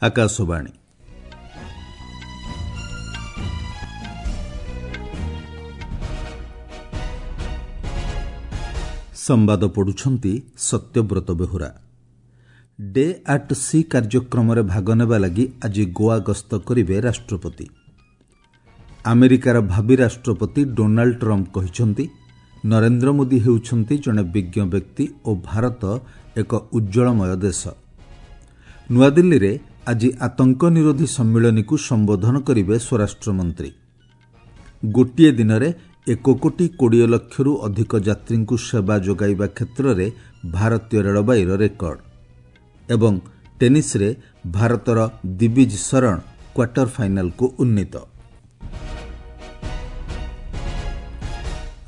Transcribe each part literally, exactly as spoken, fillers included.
ଆକାଶବାଣୀ। ସମ୍ବାଦ ପଢୁଛନ୍ତି Satyabrata Behura. Day at C କାର୍ଯ୍ୟକ୍ରମରେ ଭାଗ ନେବା ଲାଗି ଆଜି ଗୋଆ ଗସ୍ତ କରିବେ ରାଷ୍ଟ୍ରପତି। ଆମେରିକାର ଭାବି ରାଷ୍ଟ୍ରପତି ଡୋନାଲ୍ଡ ଟ୍ରମ୍ପ କହିଛନ୍ତି, ନରେନ୍ଦ୍ର ମୋଦି ହେଉଛନ୍ତି ଜଣେ ବିଜ୍ଞ ବ୍ୟକ୍ତି ଓ ଭାରତ ଏକ ଉଜ୍ଜ୍ୱଳମୟ ଦେଶ। ନୂଆଦିଲ୍ଲୀରେ ଆଜି ଆତଙ୍କ ନିରୋଧୀ ସମ୍ମିଳନୀକୁ ସମ୍ବୋଧନ କରିବେ ସ୍ୱରାଷ୍ଟ୍ରମନ୍ତ୍ରୀ। ଗୋଟିଏ ଦିନରେ ଏକ କୋଟି କୋଡ଼ିଏ ଲକ୍ଷରୁ ଅଧିକ ଯାତ୍ରୀଙ୍କୁ ସେବା ଯୋଗାଇବା କ୍ଷେତ୍ରରେ ଭାରତୀୟ ରେଳବାଇର ରେକର୍ଡ। ଏବଂ ଟେନିସ୍ରେ ଭାରତର ଦିବିଜ ଶରଣ କ୍ୱାର୍ଟର ଫାଇନାଲକୁ ଉନ୍ନୀତ।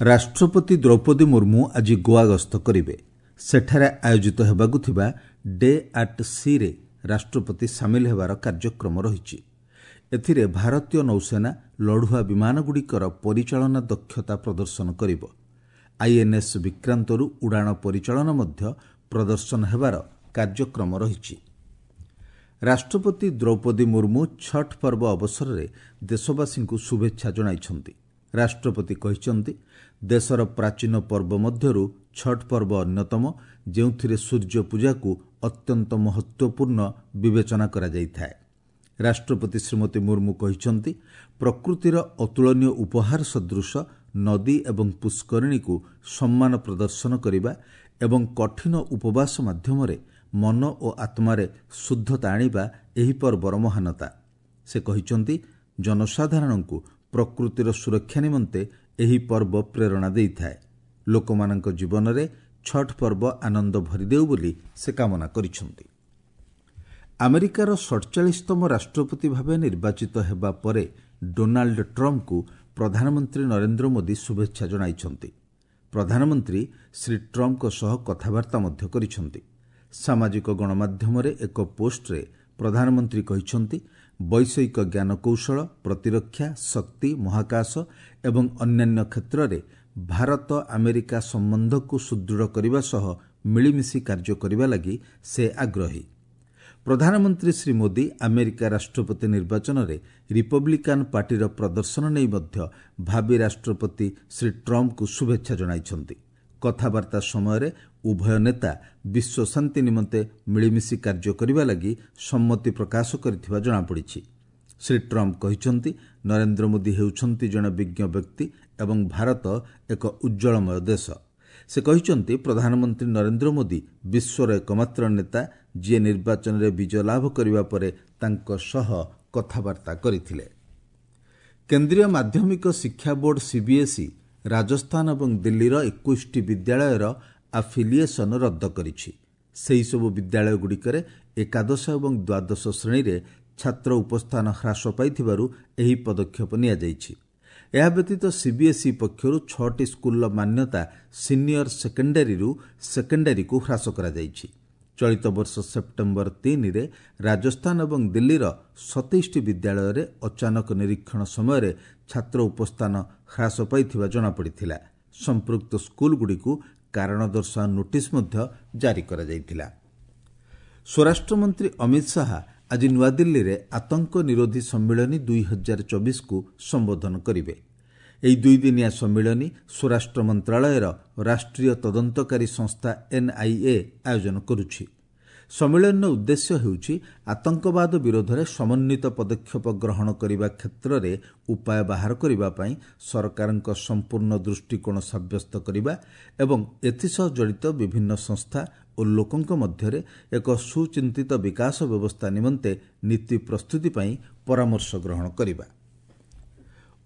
ରାଷ୍ଟ୍ରପତି ଦ୍ରୌପଦୀ ମୁର୍ମୁ ଆଜି ଗୋଆ ଗସ୍ତ କରିବେ। ସେଠାରେ ଆୟୋଜିତ ହେବାକୁ ଥିବା ଡେ ଆଟ୍ ସିରେ ରାଷ୍ଟ୍ରପତି ସାମିଲ ହେବାର କାର୍ଯ୍ୟକ୍ରମ ରହିଛି। ଏଥିରେ ଭାରତୀୟ ନୌସେନା ଲଢୁଆ ବିମାନଗୁଡ଼ିକର ପରିଚାଳନା ଦକ୍ଷତା ପ୍ରଦର୍ଶନ କରିବ। ଆଇଏନ୍ଏସ୍ ବିକ୍ରାନ୍ତରୁ ଉଡ଼ାଣ ପରିଚାଳନା ମଧ୍ୟ ପ୍ରଦର୍ଶନ ହେବାର କାର୍ଯ୍ୟକ୍ରମ ରହିଛି। ରାଷ୍ଟ୍ରପତି ଦ୍ରୌପଦୀ ମୁର୍ମୁ ଛଟ୍ ପର୍ବ ଅବସରରେ ଦେଶବାସୀଙ୍କୁ ଶୁଭେଚ୍ଛା ଜଣାଇଛନ୍ତି। ରାଷ୍ଟ୍ରପତି କହିଛନ୍ତି, ଦେଶର ପ୍ରାଚୀନ ପର୍ବ ମଧ୍ୟରୁ ଛଟ୍ ପର୍ବ ଅନ୍ୟତମ, ଯେଉଁଥିରେ ସୂର୍ଯ୍ୟ ପୂଜାକୁ ଅତ୍ୟନ୍ତ ମହତ୍ତ୍ୱପୂର୍ଣ୍ଣ ବିବେଚନା କରାଯାଇଥାଏ। ରାଷ୍ଟ୍ରପତି ଶ୍ରୀମତୀ ମୁର୍ମୁ କହିଛନ୍ତି, ପ୍ରକୃତିର ଅତୁଳନୀୟ ଉପହାର ସଦୃଶ ନଦୀ ଏବଂ ପୁଷ୍କରିଣୀକୁ ସମ୍ମାନ ପ୍ରଦର୍ଶନ କରିବା ଏବଂ କଠିନ ଉପବାସ ମାଧ୍ୟମରେ ମନ ଓ ଆତ୍ମାରେ ଶୁଦ୍ଧତା ଆଣିବା ଏହି ପର୍ବର ମହାନତା। ସେ କହିଛନ୍ତି, ଜନସାଧାରଣଙ୍କୁ ପ୍ରକୃତିର ସୁରକ୍ଷା ନିମନ୍ତେ ଏହି ପର୍ବ ପ୍ରେରଣା ଦେଇଥାଏ। ଲୋକମାନଙ୍କ ଜୀବନରେ ଛଟ୍ ପର୍ବ ଆନନ୍ଦ ଭରିଦେଉ ବୋଲି ସେ କାମନା କରିଛନ୍ତି। ଆମେରିକାର ସଡ଼ଚାଳିଶତମ ରାଷ୍ଟ୍ରପତି ଭାବେ ନିର୍ବାଚିତ ହେବା ପରେ ଡୋନାଲ୍ଡ ଟ୍ରମ୍ପଙ୍କୁ ପ୍ରଧାନମନ୍ତ୍ରୀ ନରେନ୍ଦ୍ର ମୋଦି ଶୁଭେଚ୍ଛା ଜଣାଇଛନ୍ତି। ପ୍ରଧାନମନ୍ତ୍ରୀ ଶ୍ରୀ ଟ୍ରମ୍ପଙ୍କ ସହ କଥାବାର୍ତ୍ତା ମଧ୍ୟ କରିଛନ୍ତି। ସାମାଜିକ ଗଣମାଧ୍ୟମରେ ଏକ ପୋଷ୍ଟରେ ପ୍ରଧାନମନ୍ତ୍ରୀ କହିଛନ୍ତି, ବୈଷୟିକ ଜ୍ଞାନକୌଶଳ, ପ୍ରତିରକ୍ଷା, ଶକ୍ତି, ମହାକାଶ ଏବଂ ଅନ୍ୟାନ୍ୟ କ୍ଷେତ୍ରରେ ଭାରତ ଆମେରିକା ସମ୍ବନ୍ଧକୁ ସୁଦୃଢ଼ କରିବା ସହ ମିଳିମିଶି କାର୍ଯ୍ୟ କରିବା ଲାଗି ସେ ଆଗ୍ରହୀ। ପ୍ରଧାନମନ୍ତ୍ରୀ ଶ୍ରୀ ମୋଦି ଆମେରିକା ରାଷ୍ଟ୍ରପତି ନିର୍ବାଚନରେ ରିପବ୍ଲିକାନ୍ ପାର୍ଟିର ପ୍ରଦର୍ଶନ ନେଇ ମଧ୍ୟ ଭାବି ରାଷ୍ଟ୍ରପତି ଶ୍ରୀ ଟ୍ରମ୍ପଙ୍କୁ ଶୁଭେଚ୍ଛା ଜଣାଇଛନ୍ତି। କଥାବାର୍ତ୍ତା ସମୟରେ ଉଭୟ ନେତା ବିଶ୍ୱ ଶାନ୍ତି ନିମନ୍ତେ ମିଳିମିଶି କାର୍ଯ୍ୟ କରିବା ଲାଗି ସମ୍ମତି ପ୍ରକାଶ କରିଥିବା ଜଣାପଡ଼ିଛି। ଶ୍ରୀ ଟ୍ରମ୍ପ କହିଛନ୍ତି, ନରେନ୍ଦ୍ର ମୋଦି ହେଉଛନ୍ତି ଜଣେ ବିଜ୍ଞ ବ୍ୟକ୍ତି ଏବଂ ଭାରତ ଏକ ଉଜ୍ଜ୍ୱଳମୟ ଦେଶ। ସେ କହିଛନ୍ତି, ପ୍ରଧାନମନ୍ତ୍ରୀ ନରେନ୍ଦ୍ର ମୋଦି ବିଶ୍ୱର ଏକମାତ୍ର ନେତା ଯିଏ ନିର୍ବାଚନରେ ବିଜୟ ଲାଭ କରିବା ପରେ ତାଙ୍କ ସହ କଥାବାର୍ତ୍ତା କରିଥିଲେ। କେନ୍ଦ୍ରୀୟ ମାଧ୍ୟମିକ ଶିକ୍ଷା ବୋର୍ଡ ସିବିଏସ୍ଇ ରାଜସ୍ଥାନ ଏବଂ ଦିଲ୍ଲୀର ଏକୋଇଶଟି ବିଦ୍ୟାଳୟର ଆଫିଲିଏସନ୍ ରଦ୍ଦ କରିଛି। ସେହିସବୁ ବିଦ୍ୟାଳୟଗୁଡ଼ିକରେ ଏକାଦଶ ଏବଂ ଦ୍ୱାଦଶ ଶ୍ରେଣୀରେ ଛାତ୍ର ଉପସ୍ଥାନ ହ୍ରାସ ପାଇଥିବାରୁ ଏହି ପଦକ୍ଷେପ ନିଆଯାଇଛି। ଏହା ବ୍ୟତୀତ ସିବିଏସ୍ଇ ପକ୍ଷରୁ ଛଅଟି ସ୍କୁଲର ମାନ୍ୟତା ସିନିୟର ସେକେଣ୍ଡାରୀରୁ ସେକେଣ୍ଡାରୀକୁ ହ୍ରାସ କରାଯାଇଛି। ଚଳିତ ବର୍ଷ ସେପ୍ଟେମ୍ବର ତିନିରେ ରାଜସ୍ଥାନ ଏବଂ ଦିଲ୍ଲୀର ସତେଇଶଟି ବିଦ୍ୟାଳୟରେ ଅଚାନକ ନିରୀକ୍ଷଣ ସମୟରେ ଛାତ୍ର ଉପସ୍ଥାନ ହ୍ରାସ ପାଇଥିବା ଜଣାପଡ଼ିଥିଲା। ସମ୍ପୃକ୍ତ ସ୍କୁଲଗୁଡ଼ିକୁ କାରଣ ଦର୍ଶାଅ ନୋଟିସ୍ ମଧ୍ୟ ଜାରି କରାଯାଇଥିଲା। ସ୍ୱରାଷ୍ଟ୍ରମନ୍ତ୍ରୀ ଅମିତ ଶାହା ଆଜି ନୂଆଦିଲ୍ଲୀରେ ଆତଙ୍କ ନିରୋଧୀ ସମ୍ମିଳନୀ ଦୁଇ ହଜାର ଚବିଶକୁ ସମ୍ବୋଧନ କରିବେ। ଏହି ଦୁଇଦିନିଆ ସମ୍ମିଳନୀ ସ୍ୱରାଷ୍ଟ୍ର ମନ୍ତ୍ରଣାଳୟର ରାଷ୍ଟ୍ରୀୟ ତଦନ୍ତକାରୀ ସଂସ୍ଥା ଏନ୍ଆଇଏ ଆୟୋଜନ କରୁଛି। ସମ୍ମିଳନୀର ଉଦ୍ଦେଶ୍ୟ ହେଉଛି ଆତଙ୍କବାଦ ବିରୋଧରେ ସମନ୍ୱିତ ପଦକ୍ଷେପ ଗ୍ରହଣ କରିବା କ୍ଷେତ୍ରରେ ଉପାୟ ବାହାର କରିବା ପାଇଁ ସରକାରଙ୍କ ସମ୍ପୂର୍ଣ୍ଣ ଦୃଷ୍ଟିକୋଣ ସାବ୍ୟସ୍ତ କରିବା ଏବଂ ଏଥିସହ ଜଡ଼ିତ ବିଭିନ୍ନ ସଂସ୍ଥା ଓ ଲୋକଙ୍କ ମଧ୍ୟରେ ଏକ ସୁଚିନ୍ତିତ ବିକାଶ ବ୍ୟବସ୍ଥା ନିମନ୍ତେ ନୀତି ପ୍ରସ୍ତୁତି ପାଇଁ ପରାମର୍ଶ ଗ୍ରହଣ କରିବା।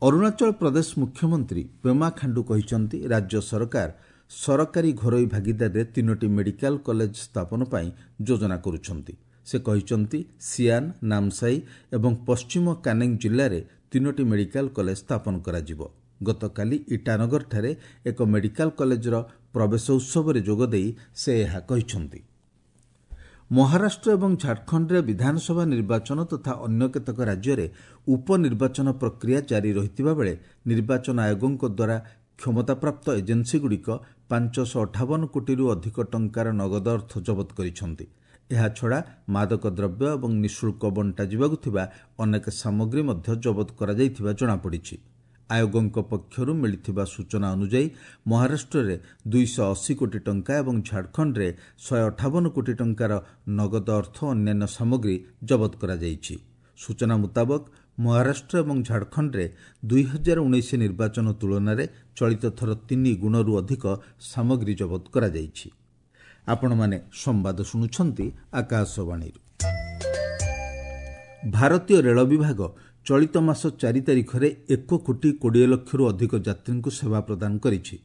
ଅରୁଣାଚଳ ପ୍ରଦେଶ ମୁଖ୍ୟମନ୍ତ୍ରୀ ପେମା ଖାଣ୍ଡୁ କହିଛନ୍ତି, ରାଜ୍ୟ ସରକାର ସରକାରୀ ଘରୋଇ ଭାଗିଦାରୀରେ ତିନୋଟି ମେଡିକାଲ କଲେଜ ସ୍ଥାପନ ପାଇଁ ଯୋଜନା କରୁଛନ୍ତି। ସେ କହିଛନ୍ତି, ସିଆନ୍, ନାମସାଇ ଏବଂ ପଶ୍ଚିମ କାନେଙ୍ଗ ଜିଲ୍ଲାରେ ତିନୋଟି ମେଡିକାଲ କଲେଜ ସ୍ଥାପନ କରାଯିବ। ଗତକାଲି ଇଟାନଗରଠାରେ ଏକ ମେଡିକାଲ କଲେଜର ପ୍ରବେଶ ଉତ୍ସବରେ ଯୋଗଦେଇ ସେ ଏହା କହିଛନ୍ତି। ମହାରାଷ୍ଟ୍ର ଏବଂ ଝାଡ଼ଖଣ୍ଡରେ ବିଧାନସଭା ନିର୍ବାଚନ ତଥା ଅନ୍ୟ କେତେକ ରାଜ୍ୟରେ ଉପନିର୍ବାଚନ ପ୍ରକ୍ରିୟା ଜାରି ରହିଥିବା ବେଳେ ନିର୍ବାଚନ ଆୟୋଗଙ୍କ ଦ୍ୱାରା କ୍ଷମତାପ୍ରାପ୍ତ ଏଜେନ୍ସିଗୁଡ଼ିକ ପାଞ୍ଚଶହ ଅଠାବନ କୋଟିରୁ ଅଧିକ ଟଙ୍କାର ନଗଦ ଅର୍ଥ ଜବତ କରିଛନ୍ତି। ଏହାଛଡ଼ା ମାଦକ ଦ୍ରବ୍ୟ ଏବଂ ନିଃଶୁଳ୍କ ବଣ୍ଟାଯିବାକୁ ଥିବା ଅନେକ ସାମଗ୍ରୀ ମଧ୍ୟ ଜବତ କରାଯାଇଥିବା ଜଣାପଡ଼ିଛି। ଆୟୋଗଙ୍କ ପକ୍ଷରୁ ମିଳିଥିବା ସୂଚନା ଅନୁଯାୟୀ ମହାରାଷ୍ଟ୍ରରେ ଦୁଇଶହ ଅଶୀ କୋଟି ଟଙ୍କା ଏବଂ ଝାଡ଼ଖଣ୍ଡରେ ଶହେ ଅଠାବନ କୋଟି ଟଙ୍କାର ନଗଦ ଅର୍ଥ ଓ ଅନ୍ୟାନ୍ୟ ସାମଗ୍ରୀ ଜବତ କରାଯାଇଛି। ସୂଚନା ମୁତାବକ ମହାରାଷ୍ଟ୍ର ଏବଂ ଝାଡ଼ଖଣ୍ଡରେ ଦୁଇ ହଜାର ଉଣେଇଶ ନିର୍ବାଚନ ତୁଳନାରେ ଚଳିତ ଥର ତିନି ଗୁଣରୁ ଅଧିକ ସାମଗ୍ରୀ ଜବତ କରାଯାଇଛି। ଆପଣମାନେ ସମ୍ବାଦ ଶୁଣୁଛନ୍ତି ଆକାଶବାଣୀରୁ। ଭାରତୀୟ ରେଳ ବିଭାଗ ଚଳିତ ମାସ ଚାରି ତାରିଖରେ ଏକ କୋଟି କୋଡ଼ିଏ ଲକ୍ଷରୁ ଅଧିକ ଯାତ୍ରୀଙ୍କୁ ସେବା ପ୍ରଦାନ କରିଛି।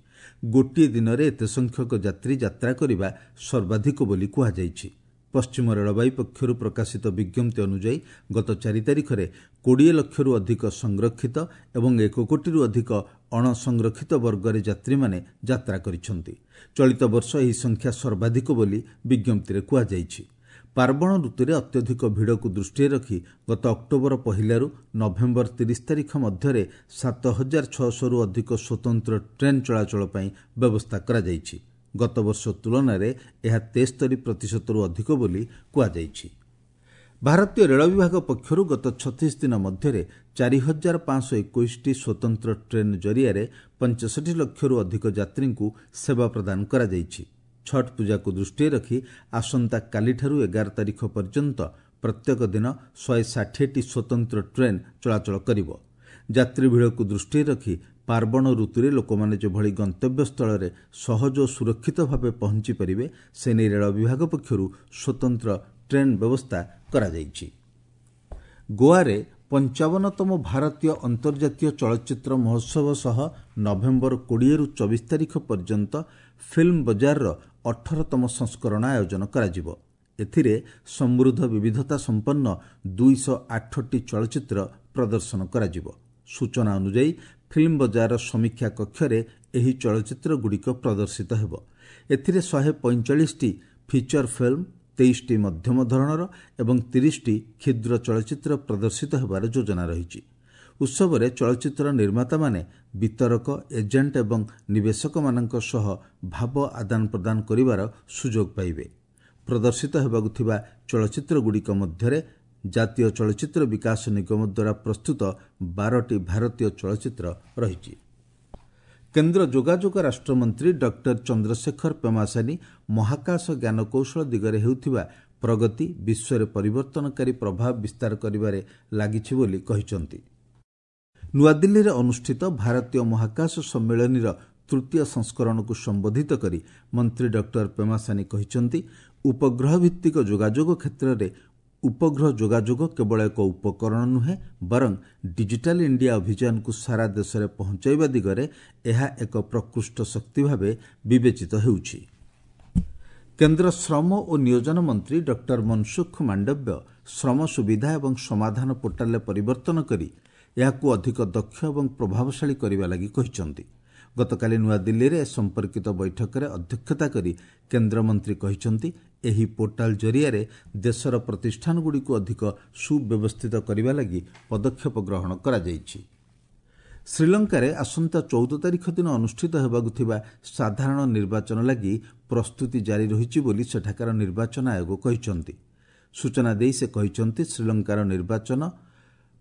ଗୋଟିଏ ଦିନରେ ଏତେ ସଂଖ୍ୟକ ଯାତ୍ରୀ ଯାତ୍ରା କରିବା ସର୍ବାଧିକ ବୋଲି କୁହାଯାଇଛି। ପଶ୍ଚିମ ରେଳବାଇ ପକ୍ଷରୁ ପ୍ରକାଶିତ ବିଜ୍ଞପ୍ତି ଅନୁଯାୟୀ ଗତ ଚାରି ତାରିଖରେ କୋଡ଼ିଏ ଲକ୍ଷରୁ ଅଧିକ ସଂରକ୍ଷିତ ଏବଂ ଏକ କୋଟିରୁ ଅଧିକ ଅଣସଂରକ୍ଷିତ ବର୍ଗରେ ଯାତ୍ରୀମାନେ ଯାତ୍ରା କରିଛନ୍ତି। ଚଳିତ ବର୍ଷ ଏହି ସଂଖ୍ୟା ସର୍ବାଧିକ ବୋଲି ବିଜ୍ଞପ୍ତିରେ କୁହାଯାଇଛି। ପାର୍ବଣ ଋତୁରେ ଅତ୍ୟଧିକ ଭିଡ଼କୁ ଦୃଷ୍ଟିରେ ରଖି ଗତ ଅକ୍ଟୋବର ପହିଲାରୁ ନଭେମ୍ବର ତିରିଶ ତାରିଖ ମଧ୍ୟରେ ସାତ ହଜାର ଛଅଶହରୁ ଅଧିକ ସ୍ୱତନ୍ତ୍ର ଟ୍ରେନ୍ ଚଳାଚଳ ପାଇଁ ବ୍ୟବସ୍ଥା କରାଯାଇଛି। ଗତବର୍ଷ ତୁଳନାରେ ଏହା ତେସ୍ତରୀ ପ୍ରତିଶତରୁ ଅଧିକ ବୋଲି କୁହାଯାଇଛି। ଭାରତୀୟ ରେଳ ବିଭାଗ ପକ୍ଷରୁ ଗତ ଛତିଶ ଦିନ ମଧ୍ୟରେ ଚାରି ହଜାର ପାଞ୍ଚଶହ ଏକୋଇଶଟି ସ୍ୱତନ୍ତ୍ର ଟ୍ରେନ୍ ଜରିଆରେ ପଞ୍ଚଷଠି ଲକ୍ଷରୁ ଅଧିକ ଯାତ୍ରୀଙ୍କୁ ସେବା ପ୍ରଦାନ କରାଯାଇଛି। ଛଟ୍ ପୂଜାକୁ ଦୃଷ୍ଟିରେ ରଖି ଆସନ୍ତାକାଲିଠାରୁ ଏଗାର ତାରିଖ ପର୍ଯ୍ୟନ୍ତ ପ୍ରତ୍ୟେକ ଦିନ ଶହେ ଷାଠିଏଟି ସ୍ୱତନ୍ତ୍ର ଟ୍ରେନ୍ ଚଳାଚଳ କରିବ। ଯାତ୍ରୀ ଭିଡ଼କୁ ଦୃଷ୍ଟିରେ ରଖି ପାର୍ବଣ ଋତୁରେ ଲୋକମାନେ ଯେଭଳି ଗନ୍ତବ୍ୟସ୍ଥଳରେ ସହଜ ଓ ସୁରକ୍ଷିତ ଭାବେ ପହଞ୍ଚି ପାରିବେ ସେ ନେଇ ରେଳ ବିଭାଗ ପକ୍ଷରୁ ସ୍ୱତନ୍ତ୍ର ଟ୍ରେନ୍ ବ୍ୟବସ୍ଥା କରାଯାଇଛି। ଗୋଆରେ ପଞ୍ଚାବନତମ ଭାରତୀୟ ଅନ୍ତର୍ଜାତୀୟ ଚଳଚ୍ଚିତ୍ର ମହୋତ୍ସବ ସହ ନଭେମ୍ବର କୋଡ଼ିଏରୁ ଚବିଶ ତାରିଖ ପର୍ଯ୍ୟନ୍ତ ଫିଲ୍ମ ବଜାରର ଅଠରତମ ସଂସ୍କରଣ ଆୟୋଜନ କରାଯିବ। ଏଥିରେ ସମୃଦ୍ଧ ବିବିଧତା ସମ୍ପନ୍ନ ଦୁଇଶହ ଆଠଟି ଚଳଚ୍ଚିତ୍ର ପ୍ରଦର୍ଶନ କରାଯିବ। ସୂଚନା ଅନୁଯାୟୀ ଫିଲ୍ମ ବଜାରର ସମୀକ୍ଷା କକ୍ଷରେ ଏହି ଚଳଚ୍ଚିତ୍ରଗୁଡ଼ିକ ପ୍ରଦର୍ଶିତ ହେବ। ଏଥିରେ ଶହେ ପଇଁଚାଳିଶଟି ଫିଚର ଫିଲ୍ମ, ତେଇଶଟି ମଧ୍ୟମ ଧରଣର ଏବଂ ତିରିଶଟି କ୍ଷୁଦ୍ର ଚଳଚ୍ଚିତ୍ର ପ୍ରଦର୍ଶିତ ହେବାର ଯୋଜନା ରହିଛି। ଉତ୍ସବରେ ଚଳଚ୍ଚିତ୍ର ନିର୍ମାତାମାନେ ବିତରକ, ଏଜେଣ୍ଟ ଏବଂ ନିବେଶକମାନଙ୍କ ସହ ଭାବ ଆଦାନ ପ୍ରଦାନ କରିବାର ସୁଯୋଗ ପାଇବେ। ପ୍ରଦର୍ଶିତ ହେବାକୁ ଥିବା ଚଳଚ୍ଚିତ୍ରଗୁଡ଼ିକ ମଧ୍ୟରେ ଜାତୀୟ ଚଳଚ୍ଚିତ୍ର ବିକାଶ ନିଗମ ଦ୍ୱାରା ପ୍ରସ୍ତୁତ ବାରଟି ଭାରତୀୟ ଚଳଚ୍ଚିତ୍ର ରହିଛି। କେନ୍ଦ୍ର ଯୋଗାଯୋଗ ରାଷ୍ଟ୍ରମନ୍ତ୍ରୀ ଡକ୍ଟର ଚନ୍ଦ୍ରଶେଖର ପେମାସାନୀ ମହାକାଶ ଜ୍ଞାନକୌଶଳ ଦିଗରେ ହେଉଥିବା ପ୍ରଗତି ବିଶ୍ୱରେ ପରିବର୍ତ୍ତନକାରୀ ପ୍ରଭାବ ବିସ୍ତାର କରିବାରେ ଲାଗିଛି ବୋଲି କହିଛନ୍ତି। ନୂଆଦିଲ୍ଲୀରେ ଅନୁଷ୍ଠିତ ଭାରତୀୟ ମହାକାଶ ସମ୍ମିଳନୀର ତୃତୀୟ ସଂସ୍କରଣକୁ ସମ୍ବୋଧିତ କରି ମନ୍ତ୍ରୀ ଡକ୍ଟର ପେମାସାନୀ କହିଛନ୍ତି, ଉପଗ୍ରହ ଭିତ୍ତିକ ଯୋଗାଯୋଗ କ୍ଷେତ୍ରରେ ଉପଗ୍ରହ ଯୋଗାଯୋଗ କେବଳ ଏକ ଉପକରଣ ନୁହେଁ, ବରଂ ଡିଜିଟାଲ ଇଣ୍ଡିଆ ଅଭିଯାନକୁ ସାରା ଦେଶରେ ପହଞ୍ଚାଇବା ଦିଗରେ ଏହା ଏକ ପ୍ରକୃଷ୍ଟ ଶକ୍ତି ଭାବେ ବିବେଚିତ ହେଉଛି। କେନ୍ଦ୍ର ଶ୍ରମ ଓ ନିୟୋଜନ ମନ୍ତ୍ରୀ ଡକ୍ଟର ମନସୁଖ ମାଣ୍ଡବ୍ୟ ଶ୍ରମ ସୁବିଧା ଏବଂ ସମାଧାନ ପୋର୍ଟାଲରେ ପରିବର୍ତ୍ତନ କରି ଏହାକୁ ଅଧିକ ଦକ୍ଷ ଏବଂ ପ୍ରଭାବଶାଳୀ କରିବା ଲାଗି କହିଛନ୍ତି। ଗତକାଲି ନୂଆଦିଲ୍ଲୀରେ ଏ ସମ୍ପର୍କିତ ବୈଠକରେ ଅଧ୍ୟକ୍ଷତା କରି କେନ୍ଦ୍ରମନ୍ତ୍ରୀ କହିଛନ୍ତି, ଏହି ପୋର୍ଟାଲ ଜରିଆରେ ଦେଶର ପ୍ରତିଷ୍ଠାନଗୁଡ଼ିକୁ ଅଧିକ ସୁବ୍ୟବସ୍ଥିତ କରିବା ଲାଗି ପଦକ୍ଷେପ ଗ୍ରହଣ କରାଯାଇଛି। ଶ୍ରୀଲଙ୍କାରେ ଆସନ୍ତା ଚଉଦ ତାରିଖ ଦିନ ଅନୁଷ୍ଠିତ ହେବାକୁ ଥିବା ସାଧାରଣ ନିର୍ବାଚନ ଲାଗି ପ୍ରସ୍ତୁତି ଜାରି ରହିଛି ବୋଲି ସେଠାକାର ନିର୍ବାଚନ ଆୟୋଗ କହିଛନ୍ତି। ସୂଚନା ଦେଇ ସେ କହିଛନ୍ତି, ଶ୍ରୀଲଙ୍କାର ନିର୍ବାଚନ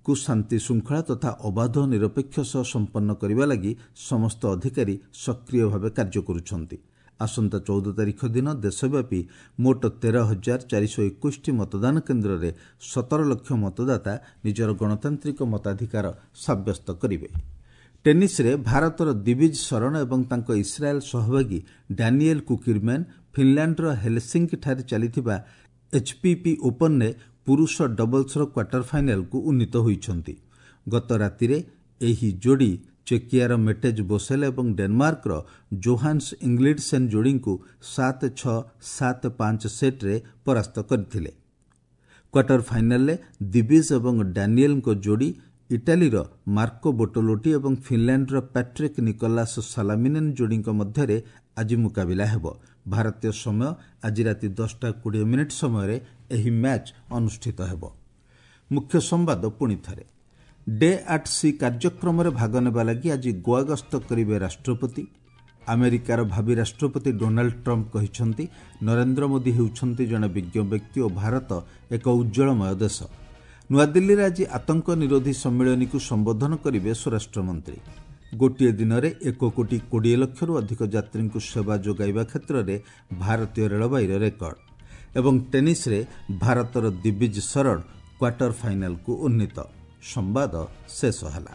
କୁ ଶାନ୍ତି ଶୃଙ୍ଖଳା ତଥା ଅବାଧ ନିରପେକ୍ଷ ସହ ସମ୍ପନ୍ନ କରିବା ଲାଗି ସମସ୍ତ ଅଧିକାରୀ ସକ୍ରିୟ ଭାବେ କାର୍ଯ୍ୟ କରୁଛନ୍ତି। ଆସନ୍ତା ଚଉଦ ତାରିଖ ଦିନ ଦେଶବ୍ୟାପୀ ମୋଟ ତେର ହଜାର ଚାରିଶହ ଏକୋଇଶଟି ମତଦାନ କେନ୍ଦ୍ରରେ ସତର ଲକ୍ଷ ମତଦାତା ନିଜର ଗଣତାନ୍ତ୍ରିକ ମତାଧିକାର ସାବ୍ୟସ୍ତ କରିବେ। ଟେନିସ୍ରେ ଭାରତର ଦିବିଜ ଶରଣ ଏବଂ ତାଙ୍କ ଇସ୍ରାଏଲ୍ ସହଭାଗୀ ଡାନିଏଲ୍ କୁକିରମ୍ୟାନ୍ ଫିନଲାଣ୍ଡର ହେଲସିଙ୍କିଠାରେ ଚାଲିଥିବା ଏଚ୍ପିପି ଓପନ୍ରେ ପୁରୁଷ ଡବଲ୍ସର କ୍ୱାର୍ଟର ଫାଇନାଲକୁ ଉନ୍ନୀତ ହୋଇଛନ୍ତି। ଗତ ରାତିରେ ଏହି ଯୋଡ଼ି ଚେକିଆର ମେଟେଜ୍ ବୋସେଲ୍ ଏବଂ ଡେନମାର୍କର ଜୋହାନ୍ସ ଇଂଲିଡସେନ୍ ଯୋଡ଼ିଙ୍କୁ ସାତ ଛଅ ସାତ ପାଞ୍ଚ ସେଟ୍ରେ ପରାସ୍ତ କରିଥିଲେ। କ୍ୱାର୍ଟର ଫାଇନାଲରେ ଦିବିଜ ଏବଂ ଡାନିଏଲ୍ଙ୍କ ଯୋଡ଼ି ଇଟାଲୀର ମାର୍କୋ ବୋଟୋଲୋଟି ଏବଂ ଫିନଲାଣ୍ଡର ପ୍ୟାଟ୍ରିକ୍ ନିକୋଲାସ୍ ସାଲାମିନେନ୍ ଯୋଡ଼ିଙ୍କ ମଧ୍ୟରେ ଆଜି ମୁକାବିଲା ହେବ। ଭାରତୀୟ ସମୟ ଆଜି ରାତି ଦଶଟା କୋଡ଼ିଏ ମିନିଟ୍ ସମୟରେ ଏହି ମ୍ୟାଚ୍ ଅନୁଷ୍ଠିତ ହେବ। ମୁଖ୍ୟ ସମ୍ବାଦ ପୁଣି ଥରେ। ଡେ ଆଟ୍ ସି କାର୍ଯ୍ୟକ୍ରମରେ ଭାଗ ନେବା ଲାଗି ଆଜି ଗୋଆ ଗସ୍ତ କରିବେ ରାଷ୍ଟ୍ରପତି। ଆମେରିକାର ଭାବି ରାଷ୍ଟ୍ରପତି ଡୋନାଲ୍ଡ ଟ୍ରମ୍ପ କହିଛନ୍ତି, ନରେନ୍ଦ୍ର ମୋଦି ହେଉଛନ୍ତି ଜଣେ ବିଜ୍ଞ ବ୍ୟକ୍ତି ଓ ଭାରତ ଏକ ଉଜ୍ଜ୍ୱଳମୟ ଦେଶ। ନୂଆଦିଲ୍ଲୀରେ ଆଜି ଆତଙ୍କ ନିରୋଧୀ ସମ୍ମିଳନୀକୁ ସମ୍ବୋଧନ କରିବେ ସ୍ୱରାଷ୍ଟ୍ରମନ୍ତ୍ରୀ। ଗୋଟିଏ ଦିନରେ ଏକ କୋଟି କୋଡ଼ିଏ ଲକ୍ଷରୁ ଅଧିକ ଯାତ୍ରୀଙ୍କୁ ସେବା ଯୋଗାଇବା କ୍ଷେତ୍ରରେ ଭାରତୀୟ ରେଳବାଇର ରେକର୍ଡ। ଏବଂ ଟେନିସ୍ରେ ଭାରତର ଦିବିଜ ଶରଣ କ୍ୱାର୍ଟର ଫାଇନାଲକୁ ଉନ୍ନୀତ। ସମ୍ବାଦ ଶେଷ ହେଲା।